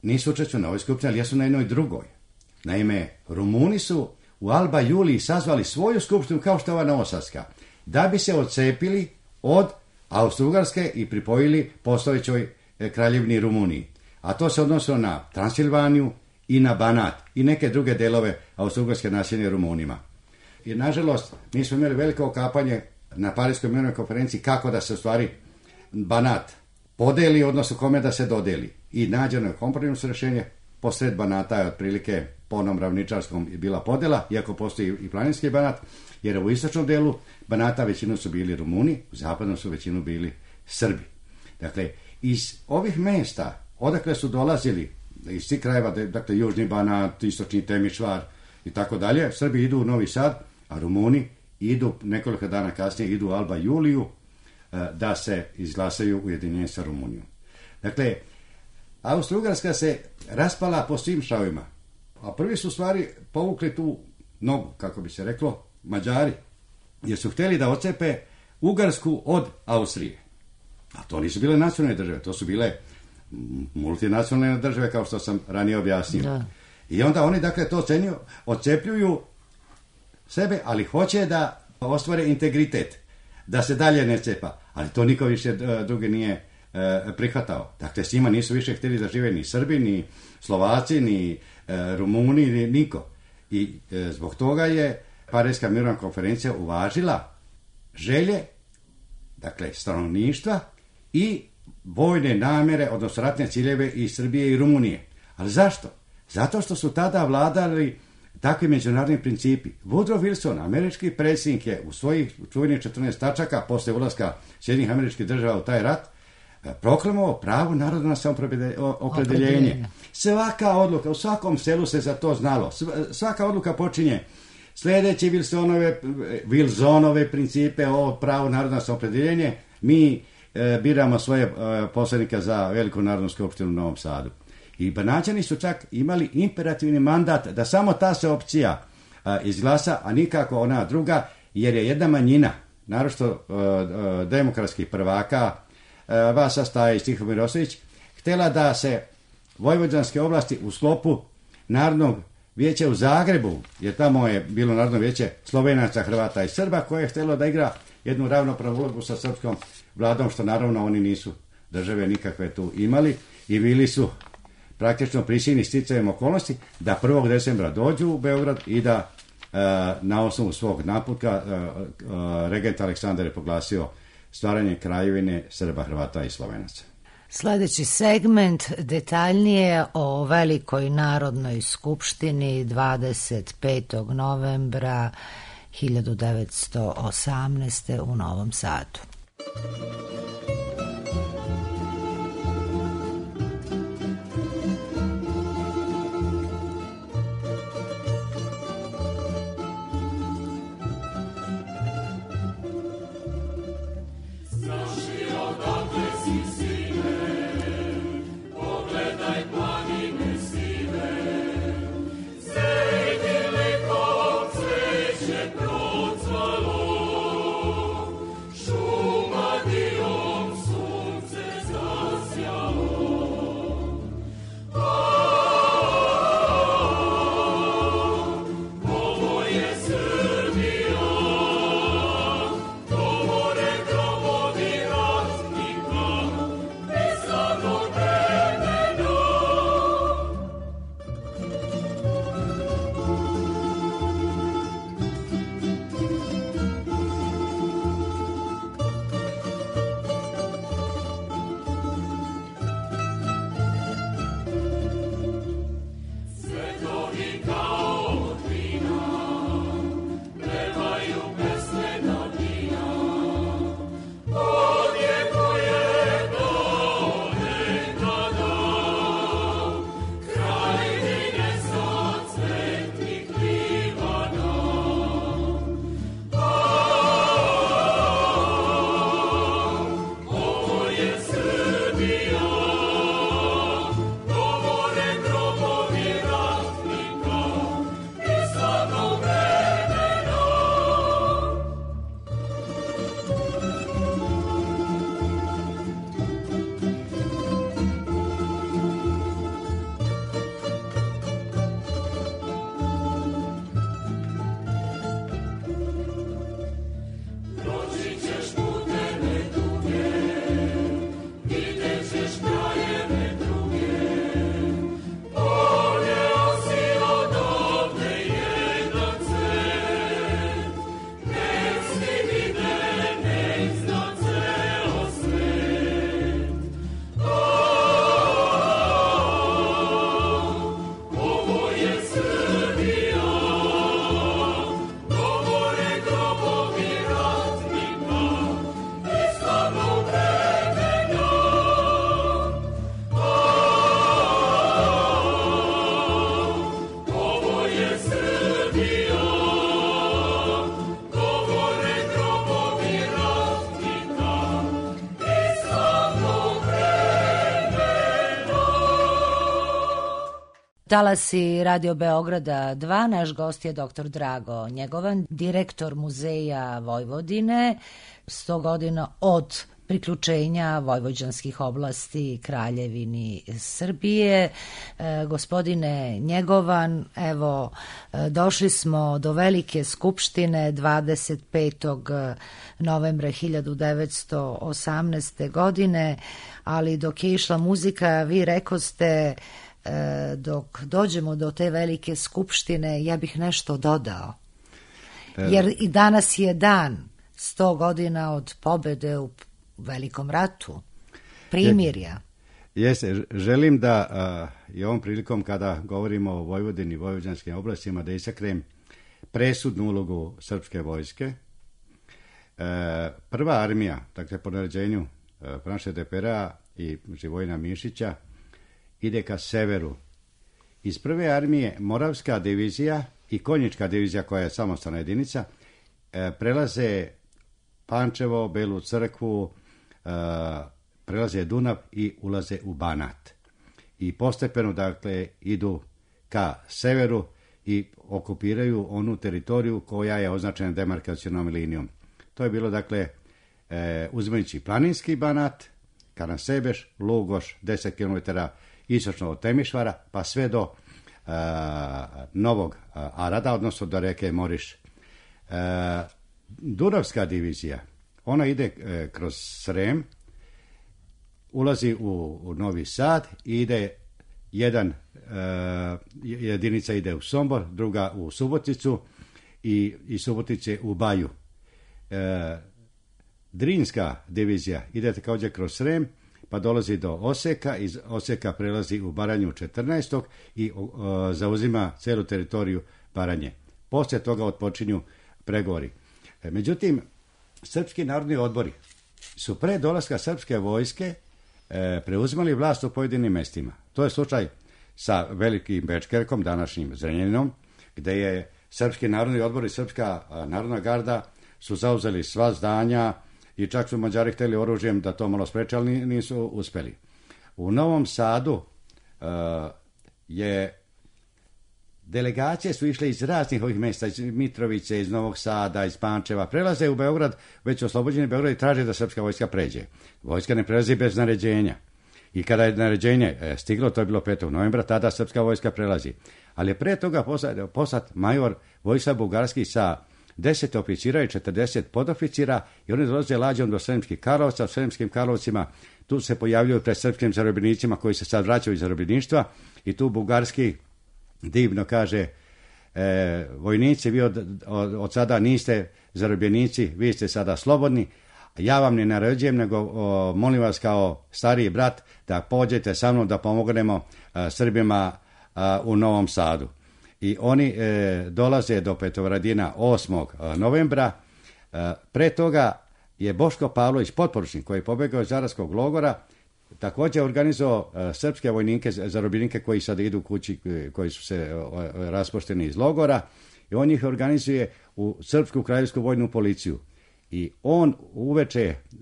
nisu učestvovali na ovoj skupštini, ali jesu na jednoj drugoj. Naime, Rumuni su u Alba Juliji sazvali svoju skupštinu kao što je ova novosadska, da bi se odcepili od Austro-Ugarske i pripojili postojećoj kraljevini Rumuniji. A to se odnosilo na Transilvaniju i na Banat i neke druge delove Austro-Ugarske naseljene Rumunima. I nažalost, mi smo imali veliko okapanje na Parijskoj mirovnoj konferenciji kako da se u stvari Banat podeli, odnosno kome da se dodeli. I nađeno je kompromisno rješenje, posred Banata je otprilike po onom ravničarskom bila podela, iako postoji i planinski Banat, jer u istočnom delu Banata većinu su bili Rumuni, u zapadnom su većinu bili Srbi. Dakle, iz ovih mesta, odakle su dolazili, iz svih krajeva, dakle, Južni Banat, Istočni Temišvar i tako dalje, Srbi idu u Novi Sad, a Rumuni idu, nekoliko dana kasnije, idu u Alba Juliju da se izglasaju ujedinjenje sa Rumunijom. Dakle, Austro-Ugarska se raspala po svim šavima, a prvi su stvari povukli tu nogu, kako bi se reklo, Mađari, jer su htjeli da ocepe Ugarsku od Austrije. A to nisu bile nacionalne države, to su bile multinacionalne države, kao što sam ranije objasnio. Da. I onda oni, dakle, to cenju, ocepljuju sebe, ali hoće da ostvare integritet, da se dalje ne cepa. Ali to niko više drugi nije e, prihvatao. Dakle, s njima nisu više htjeli da žive ni Srbi, ni Slovaci, ni e, Rumuni, ni niko. I e, zbog toga je Parijska mirovna konferencija uvažila želje, dakle, stanovništva i vojne namjere, odnosno ratne ciljeve i Srbije i Rumunije. Ali zašto? Zato što su tada vladali takvi međunarodni principi. Woodrow Wilson, američki predsjednik, je u svojih čuvenih četrnaest tačaka posle ulaska Sjedinjenih Američkih Država u taj rat proklamovao pravo naroda na samoopredeljenje. Svaka odluka, u svakom selu se za to znalo. Svaka odluka počinje sljedeći Wilsonove, Wilsonove principe o pravu naroda na samoopredeljenje. Mi e, biramo svoje e, poslanike za Veliku narodnu skupštinu u Novom Sadu. I Banaćani su čak imali imperativni mandat da samo ta se opcija a, izglasa, a nikako ona druga, jer je jedna manjina, naročito demokratskih prvaka, a, Vasa Stajić, Tihomir Ostojić, htjela da se vojvođanske oblasti u sklopu Narodnog vijeća u Zagrebu, jer tamo je bilo Narodno vijeće Slovenaca, Hrvata i Srba, koje je htjelo da igra jednu ravnopravnu ulogu sa srpskom vladom, što naravno oni nisu države nikakve tu imali i bili su praktično prisiljeni sticajem okolnosti da prvog decembra dođu u Beograd i da e, na osnovu svog naputka e, e, regent Aleksandar je proglasio stvaranje kraljevine Srba, Hrvata i Slovenaca. Sljedeći segment detaljnije o Velikoj narodnoj skupštini dvadeset petog novembra hiljadu devetsto osamnaeste. u Novom Sadu. Šuma dio Talasi Radio Beograda dva, naš gost je doktor Drago Njegovan, direktor Muzeja Vojvodine, sto godina od priključenja vojvođanskih oblasti Kraljevini Srbije. E, gospodine Njegovan, evo, došli smo do Velike skupštine dvadeset petog novembra hiljadu devetsto osamnaeste. godine, ali dok je išla muzika, vi rekoste, e, dok dođemo do te Velike skupštine, ja bih nešto dodao. Jer i danas je dan sto godina od pobede u Velikom ratu, primirja. Jeste, želim da a, i ovom prilikom kada govorimo o Vojvodini i vojvođanskim oblastima da istaknem presudnu ulogu srpske vojske. E, prva armija, dakle po naređenju e, Franše de Pera i Živojina Mišića, ide ka severu. Iz prve armije Moravska divizija i Konjička divizija, koja je samostalna jedinica, e, prelaze Pančevo, Belu crkvu, Uh, prelaze Dunav i ulaze u Banat. I postepeno, dakle, idu ka severu i okupiraju onu teritoriju koja je označena demarkacionom linijom. To je bilo, dakle, e, uzimajući planinski Banat, Karansebež, Lugoš, deset kilometara istočno od Temišvara, pa sve do uh, Novog uh, Arada, odnosno do reke Moriš. Uh, Dunavska divizija, ona ide e, kroz Srem, ulazi u, u Novi Sad i ide jedan, e, jedinica ide u Sombor, druga u Suboticu i, i Subotice u Baju. E, Drinska divizija ide također kroz Srem, pa dolazi do Oseka, iz Oseka prelazi u Baranju četrnaestog i o, zauzima celu teritoriju Baranje. Poslije toga otpočinju pregovori. E, međutim, srpski narodni odbori su pre dolaska srpske vojske e, preuzimali vlast u pojedinim mestima. To je slučaj sa Velikim Bečkerkom, današnjim Zrenjaninom, gde je srpski narodni odbor i srpska a, narodna garda su zauzeli sva zdanja i čak su Mađari hteli oružjem da to malo spreče, ali nisu uspeli. U Novom Sadu e, je delegacije su išle iz raznih ovih mjesta, iz Mitrovice, iz Novog Sada, iz Pančeva, prelaze u Beograd, već oslobođeni Beograd i traže da srpska vojska pređe. Vojska ne prelazi bez naređenja. I kada je naređenje stiglo, to je bilo petog novembra, tada srpska vojska prelazi. Ali je pre toga poslat, poslat major Vojislav Bugarski sa deset oficira i četrdeset podoficira i oni dolaze lađom do Sremskih Karlovca. U Sremskim Karlovcima tu se pojavljuju pred srpskim zarobljenicima koji se sad vraćaju iz zarobljeništva i tu Bugarski divno kaže, e, vojnici, vi od, od, od sada niste zarobljenici, vi ste sada slobodni, ja vam ne naređujem, nego o, molim vas kao stariji brat da pođete sa mnom da pomognemo a, Srbima a, u Novom Sadu. I oni e, dolaze do Petrovaradina osmog novembra. E, pre toga je Boško Pavlović, potporučnik koji je pobegao iz Zaravskog logora, također organizovao uh, srpske vojnike, zarobljenike koji sad idu kući, koji su se uh, raspošteni iz logora, i on ih organizuje u Srpsku kraljevsku vojnu policiju. I on uveče uh,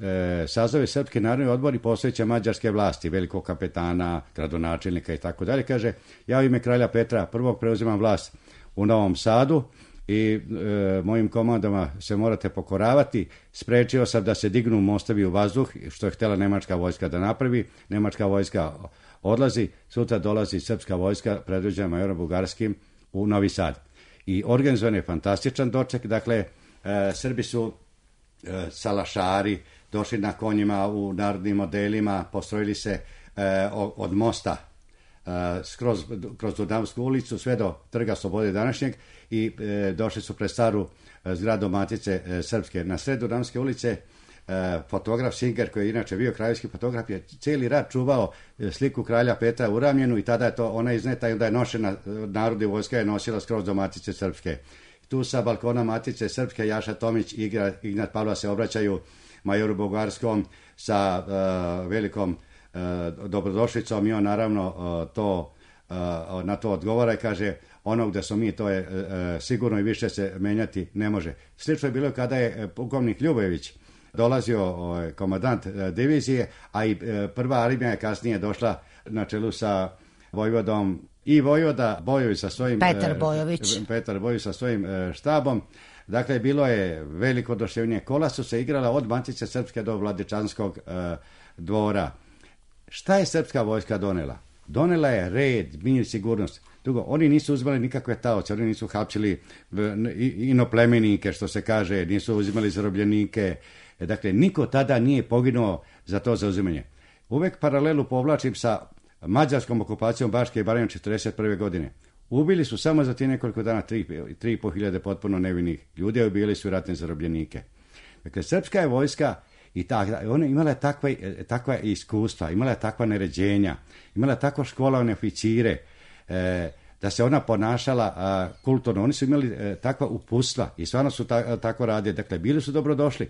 sazove Srpski narodni odbor i posveća mađarske vlasti, velikog kapetana, gradonačelnika i tako dalje. Kaže, ja u ime kralja Petra prvog preuzimam vlast u Novom Sadu i e, mojim komandama se morate pokoravati. Sprečio sam da se dignu mostovi u vazduh, što je htjela nemačka vojska da napravi. Nemačka vojska odlazi, sutra dolazi srpska vojska predvođena majorom Bugarskim u Novi Sad. I organizovan je fantastičan doček, dakle, e, Srbi su e, salašari, došli na konjima u narodnim modelima, postrojili se e, od mosta Uh, skroz, kroz Dunavsku ulicu sve do Trga Slobode današnjeg i e, došli su pred staru e, zgradu Matice e, Srpske. Na sred Dunavske ulice e, fotograf Singer, koji je inače bio kraljevski fotograf, je cijeli rat čuvao e, sliku kralja Petra uramljenu i tada je to ona izneta i onda je nošena, narodna vojska je nosila skroz do Matice Srpske. Tu sa balkona Matice Srpske Jaša Tomić i Ignat Pavla se obraćaju majoru Bugarskom sa e, velikom dobrodošlicom i on naravno to, na to odgovara i kaže, ono gde smo mi to je sigurno i više se menjati ne može. Slično je bilo kada je pukovnik Ljubojević dolazio komandant divizije, a i prva armija je kasnije došla na čelu sa vojvodom i vojvoda Bojović sa svojim Petar Bojović. E, Petar Bojović sa svojim e, štabom. Dakle, bilo je veliko oduševljenje. Kola su se igrala od Matice Srpske do Vladičanskog e, dvora. Šta je srpska vojska donela? Donela je red, mir, sigurnost. Drugo, oni nisu uzimali nikakve taoce, oni nisu hapsili inoplemenike, što se kaže, nisu uzimali zarobljenike. Dakle, niko tada nije poginuo za to zauzimanje. Uvek paralelu povlačim sa mađarskom okupacijom Baške i Baranje četrdeset prve godine. Ubili su samo za ti nekoliko dana tri i po hiljade potpuno nevinih ljudi, a ubili su ratne zarobljenike. Dakle, srpska je vojska i ta, ona imala je takva, takva iskustva, imala je takva naređenja, imala je tako školovane oficire, e, da se ona ponašala a, kulturno. Oni su imali e, takva uputstva i stvarno su ta, tako radili. Dakle, bili su dobro došli.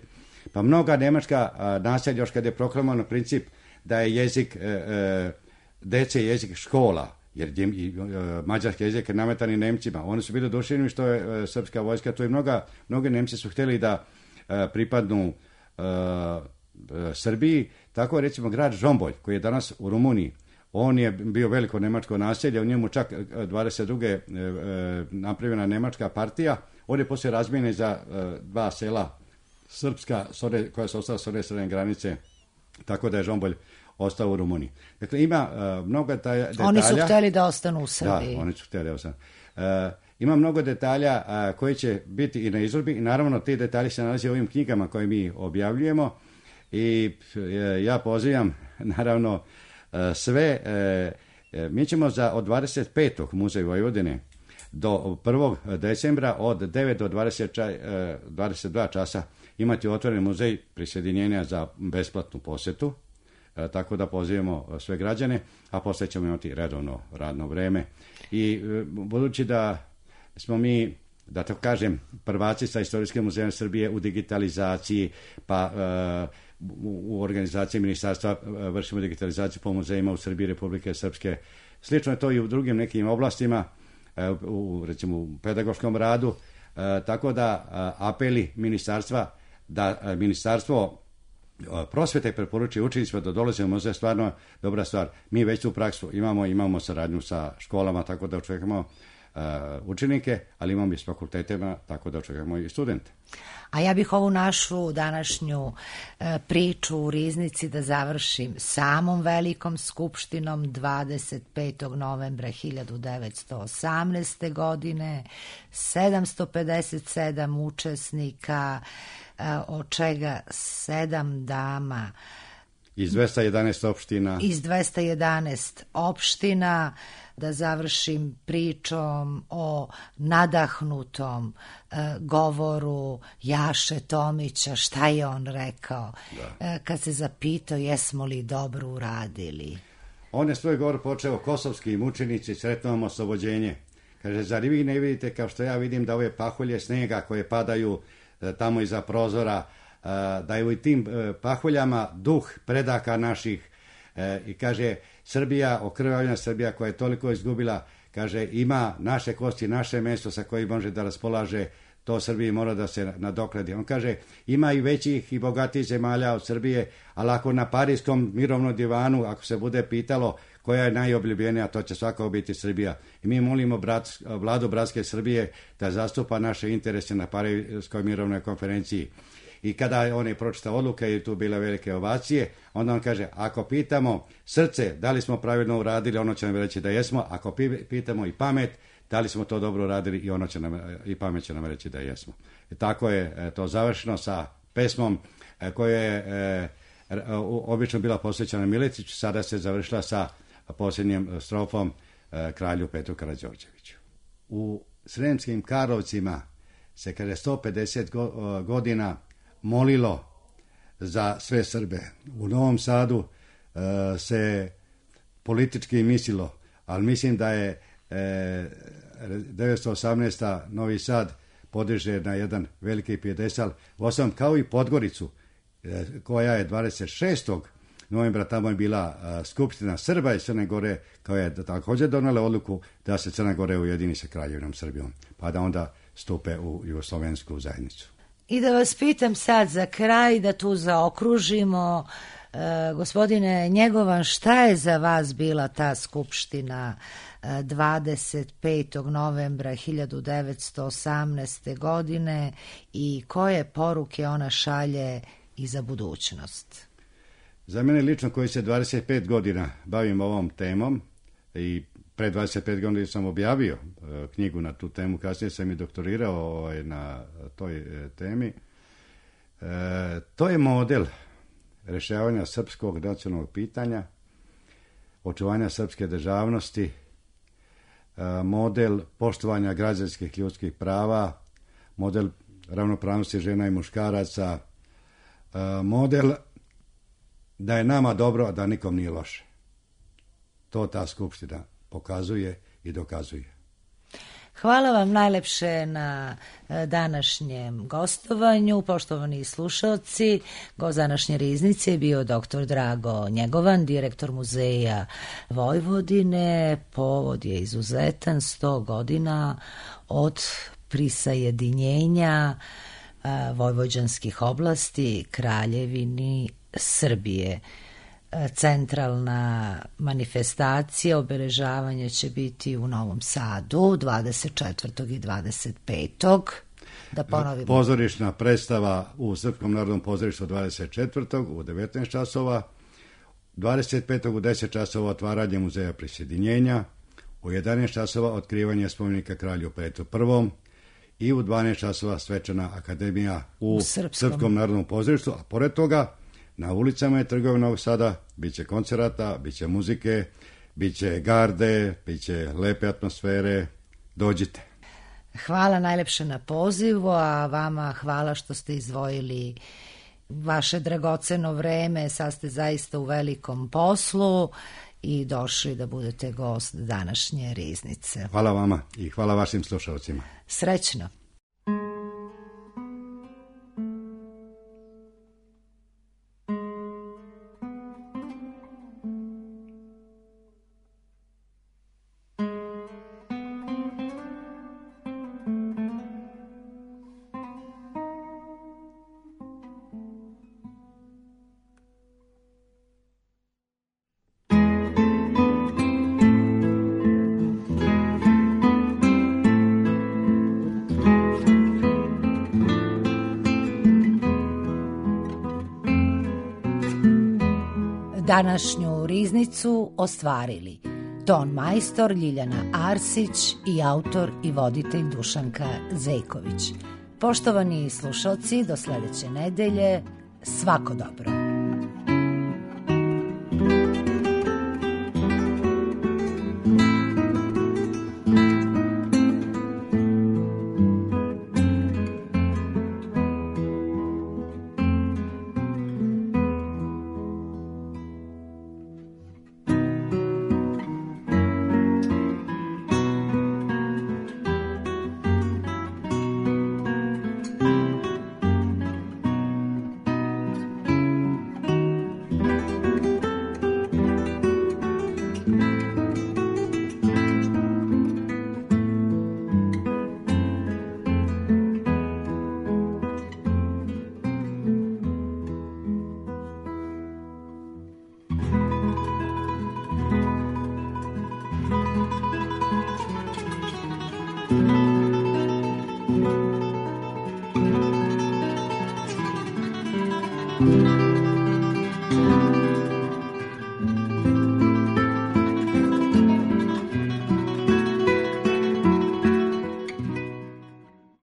Pa mnoga nemačka a, naselja, još kad je proklamovano princip da je jezik e, e, dece jezik škola, jer je, i, e, mađarski jezik je nametan i Nemcima. Oni su bili oduševljeni što je e, srpska vojska, to i mnoga, mnoge Nemci su htjeli da e, pripadnu e, e, Srbiji. Tako je recimo grad Žombolj, koji je danas u Rumuniji. On je bio veliko nemačko naselje, u njemu čak dvadeset druge e, e, napravljena nemačka partija. On je poslije razmijene za e, dva sela srpska, one, koja su ostala s one strane granice, tako da je Žombolj ostao u Rumuniji. Dakle, ima uh, mnogo detalja. Oni su htjeli da ostanu u Srbiji. Da, oni su htjeli da ostanu. Uh, ima mnogo detalja uh, koji će biti i na izložbi i naravno ti detalji se nalaze u ovim knjigama koje mi objavljujemo i uh, ja pozivam naravno uh, sve. Uh, mi ćemo za od dvadeset petog Muzej Vojvodine do prvog decembra od devet do dvadeset, dvadeset dva časa imati otvoren muzej prisjedinjenja za besplatnu posjetu. E, tako da pozivamo sve građane, a poslije ćemo imati redovno radno vreme. I e, budući da smo mi, da to kažem, prvaci sa Istorijskim muzejom Srbije u digitalizaciji, pa e, u, u organizaciji ministarstva e, vršimo digitalizaciju po muzejima u Srbiji, Republike Srpske. Slično je to i u drugim nekim oblastima, e, u, recimo u pedagoškom radu, e, tako da e, apeli ministarstva, da e, ministarstvo prosvete preporučuje učenicima da dolaze u muzej, stvarno dobra stvar. Mi već tu praksu imamo, imamo saradnju sa školama, tako da očekujemo uh, učenike, ali imamo i s fakultetima, tako da očekujemo i studente. A ja bih ovu našu današnju uh, priču u Riznici da završim samom velikom skupštinom dvadeset petog novembra hiljadu devetsto osamnaeste. godine, sedamsto pedeset sedam učesnika, od čega sedam dama. Iz dvesta jedanaest opština. Iz dvesta jedanaest opština, da završim pričom o nadahnutom uh, govoru Jaše Tomića, šta je on rekao, uh, kad se zapitao jesmo li dobro uradili. On je svoj govor počeo: kosovski mučenici, sretno vam oslobođenje. Kaže, zar vi ne vidite kao što ja vidim da ove pahulje snega koje padaju tamo iza prozora, da je u tim pahuljama duh predaka naših. I kaže, Srbija, okrvavljena Srbija koja je toliko izgubila, kaže, ima naše kosti, naše mesto sa kojim može da raspolaže, to Srbiji mora da se nadoknadi. On kaže, ima i većih i bogatijih zemalja od Srbije, ali ako na Parijskom mirovnom divanu, ako se bude pitalo koja je najobljubljenija, to će svakako biti Srbija. I mi molimo brat, vladu bratske Srbije da zastupa naše interese na Parijskoj mirovnoj konferenciji. I kada on je pročitao odluke i tu bile velike ovacije, onda on kaže, ako pitamo srce da li smo pravilno uradili, ono će nam reći da jesmo. Ako pitamo i pamet, da li smo to dobro uradili, i ono će nam, i pamet će nam reći da jesmo. I tako je to završeno sa pesmom koja je obično bila posvećena Miletiću, sada se završila sa posljednjim strofom kralju Petru Karađorđeviću. U Sremskim Karlovcima se kada je sto pedeset godina molilo za sve Srbe. U Novom Sadu uh, se politički mislilo, ali mislim da je uh, devetsto osamnaesta. Novi Sad podiže na jedan veliki pijedestal, osam kao i Podgoricu, uh, koja je dvadeset šestog novembra, tamo je bila uh, skupština Srba i Crne Gore, koja je također donela odluku da se Crna Gore ujedini sa Kraljevinom Srbijom, pa da onda stupe u jugoslovensku zajednicu. I da vas pitam sad za kraj, da tu zaokružimo Gospodine Njegovan, šta je za vas bila ta skupština dvadeset petog novembra hiljadu devetsto osamnaeste. godine i koje poruke ona šalje i za budućnost? Za mene lično, koji se dvadeset pet godina bavim ovom temom i pre dvadeset pet godina sam objavio knjigu na tu temu, kasnije sam i doktorirao na toj temi, to je model rešavanja srpskog nacionalnog pitanja, očuvanja srpske državnosti, model poštovanja građanskih ljudskih prava, model ravnopravnosti žena i muškaraca, model da je nama dobro, a da nikom nije loše. To ta skupština pokazuje i dokazuje. Hvala vam najlepše na današnjem gostovanju. Poštovani slušalci, gost današnje riznice je bio doktor Drago Njegovan, direktor Muzeja Vojvodine. Povod je izuzetan, sto godina od prisajedinjenja vojvođanskih oblasti Kraljevini Srbije. Centralna manifestacija, obeležavanje će biti u Novom Sadu dvadeset četvrtog i dvadeset petog Da ponovimo. Pozorišna predstava u Srpskom narodnom pozorištu dvadeset četvrtog u devetnaest časova, dvadeset petog u deset časova otvaranje Muzeja prisjedinjenja, u jedanaest časova otkrivanje spomenika kralju Petru Prvom i u dvanaest časova svečana akademija u, u Srpskom. Srpskom narodnom pozorištu, a pored toga na ulicama je trgova Novog Sada, bit će koncerata, bit će muzike, bit će garde, bit će lepe atmosfere. Dođite. Hvala najlepše na pozivu, a vama hvala što ste izdvojili vaše dragoceno vreme. Sad ste zaista u velikom poslu i došli da budete gost današnje riznice. Hvala vama i hvala vašim slušalcima. Srećno. Današnju riznicu ostvarili ton majstor Ljiljana Arsić i autor i voditelj Dušanka Zejković. Poštovani slušalci, do sledeće nedelje, svako dobro.